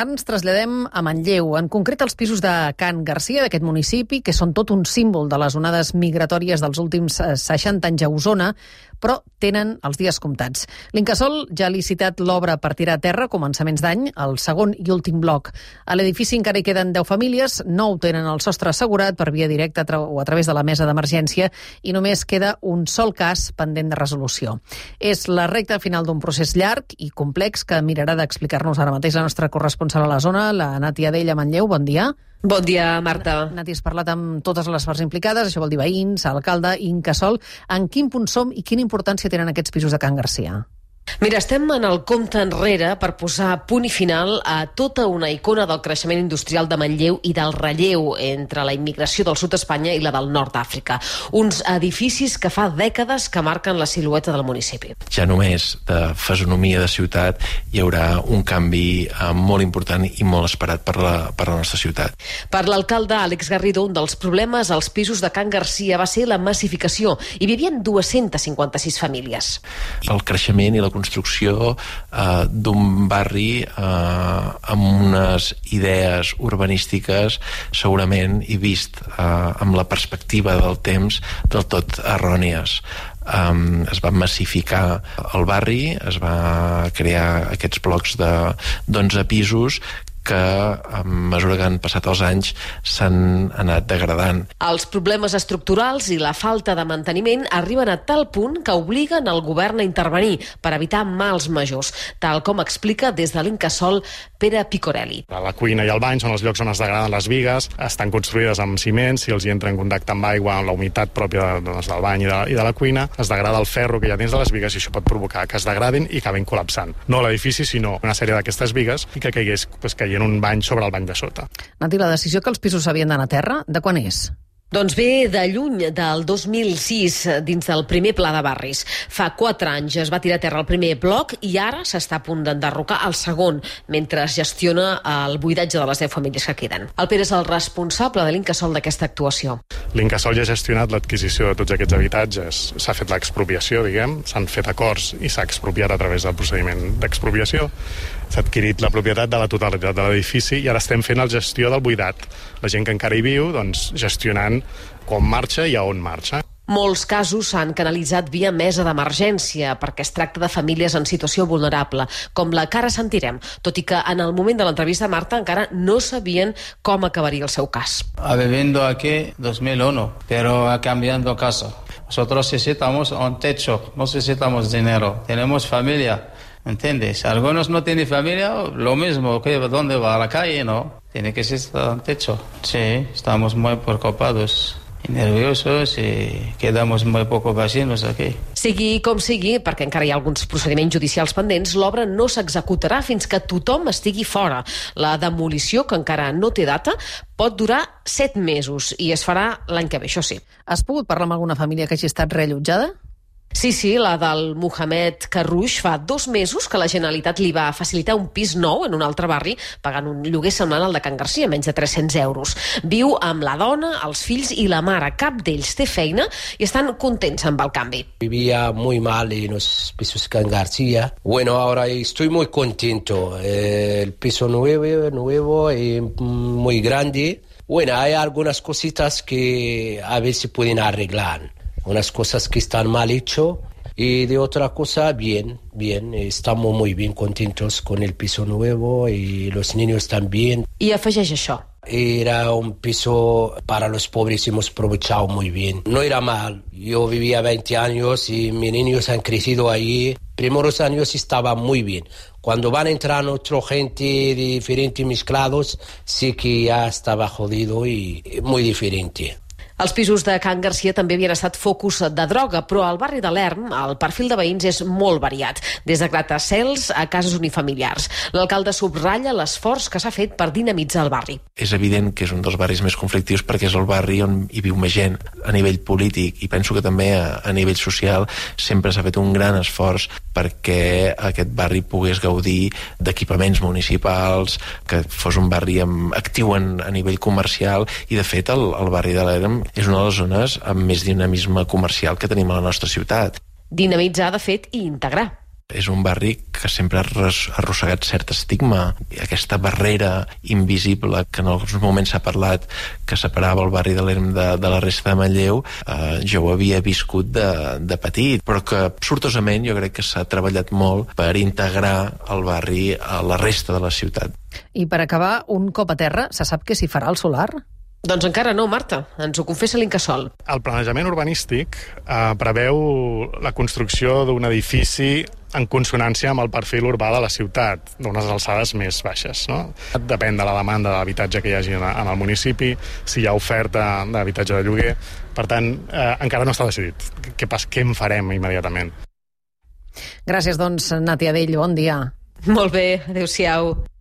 Ara ens traslladem a Manlleu, en concret als pisos de Can Garcia, d'aquest municipi, que són tot un símbol de les onades migratòries dels últims 60 anys a Osona, però tenen els dies comptats. L'Incasòl ja ha licitat l'obra per tirar a terra a començaments d'any, el segon i últim bloc. A l'edifici encara hi queden 10 famílies, 9 tenen el sostre assegurat per via directa o a través de la mesa d'emergència i només queda un sol cas pendent de resolució. És la recta final d'un procés llarg i complex que mirarà d'explicar-nos ara mateix la nostra corresponsal a la zona, la Nati Adell a Manlleu. Bon dia. Bon dia, Marta. Nati, has parlat amb totes les parts implicades, això vol dir veïns, alcalde, Incasòl. En quin punt som i quina importància tenen aquests pisos de Can Garcia? Mira, estem en el compte enrere per posar punt i final a tota una icona del creixement industrial de Manlleu i del relleu entre la immigració del sud d'Espanya i la del nord d'Àfrica. Uns edificis que fa dècades que marquen la silueta del municipi. Ja només de fisonomia de ciutat hi haurà un canvi molt important i molt esperat per la nostra ciutat. Per l'alcalde Àlex Garrido, un dels problemes als pisos de Can Garcia va ser la massificació. Hi vivien 256 famílies. El creixement i la construcció d'un barri amb unes idees urbanístiques segurament i vist amb la perspectiva del temps del tot errònies. Es va massificar el barri, es va crear aquests blocs d'11 pisos que a mesura que han passat els anys s'han anat degradant. Els problemes estructurals i la falta de manteniment arriben a tal punt que obliguen el govern a intervenir per evitar mals majors, tal com explica des de l'Incasòl Pere Picorelli. La cuina i el bany són els llocs on es degraden les bigues, estan construïdes amb ciment, si els hi entra en contacte amb aigua, amb la humitat pròpia del bany i de la cuina, es degrada el ferro que hi ha dins de les bigues i això pot provocar que es degradin i acabin col·lapsant. No l'edifici, sinó una sèrie d'aquestes bigues i que caigués un bany sobre el bany de sota. Nati, la decisió que els pisos havien d'anar a terra, de quan és? Doncs ve de lluny, del 2006, dins del primer pla de barris. Fa 4 anys es va tirar a terra el primer bloc i ara s'està a punt d'enderrocar el segon, mentre es gestiona el buidatge de les 10 famílies que queden. El Pere és el responsable de l'Incasòl d'aquesta actuació. L'Incasòl ja ha gestionat l'adquisició de tots aquests habitatges. S'ha fet l'expropiació, s'han fet acords i s'ha expropiat a través del procediment d'expropiació. S'ha adquirit la propietat de la totalitat de l'edifici i ara estem fent la gestió del buidat. La gent que encara hi viu, gestionant com marxa i a on marxa. Molts casos s'han canalitzat via mesa d'emergència perquè es tracta de famílies en situació vulnerable, com la que ara sentirem, tot i que en el moment de l'entrevista a Marta encara no sabien com acabaria el seu cas. Viviendo aquí 2001, pero cambiando casa. Nosotros necesitamos un techo, no necesitamos dinero, tenemos familia. ¿Entiendes? Algunos no tienen familia, lo mismo, que ¿dónde va? A la calle, ¿no? Tiene que ser un techo. Sí, estamos muy preocupados i nerviosos i quedamos muy pocos vecinos aquí. Sigui com sigui, perquè encara hi ha alguns procediments judicials pendents, l'obra no s'executarà fins que tothom estigui fora. La demolició, que encara no té data, pot durar 7 mesos i es farà l'any que ve, això sí. Has pogut parlar amb alguna família que hagi estat reallotjada? Sí, la del Mohamed Carrouch fa 2 mesos que la Generalitat li va facilitar un pis nou en un altre barri, pagant un lloguer semblant al de Can Garcia, menys de 300 euros. Viu amb la dona, els fills i la mare. Cap d'ells té feina i estan contents amb el canvi. Vivía muy mal en los pisos Can Garcia. Bueno, ahora estoy muy contento. El piso nuevo y muy grande. Bueno, hay algunas cositas que a ver si pueden arreglar. Unas cosas que están mal hecho y de otra cosa bien, estamos muy bien contentos con el piso nuevo y los niños también. I afegeix això. Era un piso para los pobres y hemos aprovechado muy bien. No era mal, yo vivía 20 años y mis niños han crecido allí. Primeros años estaba muy bien. Cuando van entrando otra gente diferente mezclados, sí que ya estaba jodido y muy diferente. Els pisos de Can Garcia també havien estat focus de droga, però al barri de l'Erm el perfil de veïns és molt variat, des de gratacels a cases unifamiliars. L'alcalde subratlla l'esforç que s'ha fet per dinamitzar el barri. És evident que és un dels barris més conflictius perquè és el barri on hi viu més gent a nivell polític i penso que també a nivell social sempre s'ha fet un gran esforç perquè aquest barri pogués gaudir d'equipaments municipals, que fos un barri actiu a nivell comercial i de fet el barri de l'Erm és una de les zones amb més dinamisme comercial que tenim a la nostra ciutat. Dinamitzar, de fet, i integrar. És un barri que sempre ha arrossegat cert estigma. Aquesta barrera invisible que en alguns moments s'ha parlat que separava el barri de l'Erm de la resta de Manlleu, jo ho havia viscut de petit, però que sortosament jo crec que s'ha treballat molt per integrar el barri a la resta de la ciutat. I per acabar, un cop a terra, se sap què s'hi farà al solar? Doncs encara no, Marta. Ens ho confessa l'Incasòl. El planejament urbanístic preveu la construcció d'un edifici en consonància amb el perfil urbà de la ciutat, d'unes alçades més baixes. No? Depèn de la demanda d'habitatge que hi hagi en el municipi, si hi ha oferta d'habitatge de lloguer. Per tant, encara no està decidit què en farem immediatament. Gràcies, doncs, Nàtia Dell. Bon dia. Molt bé, adéu-siau.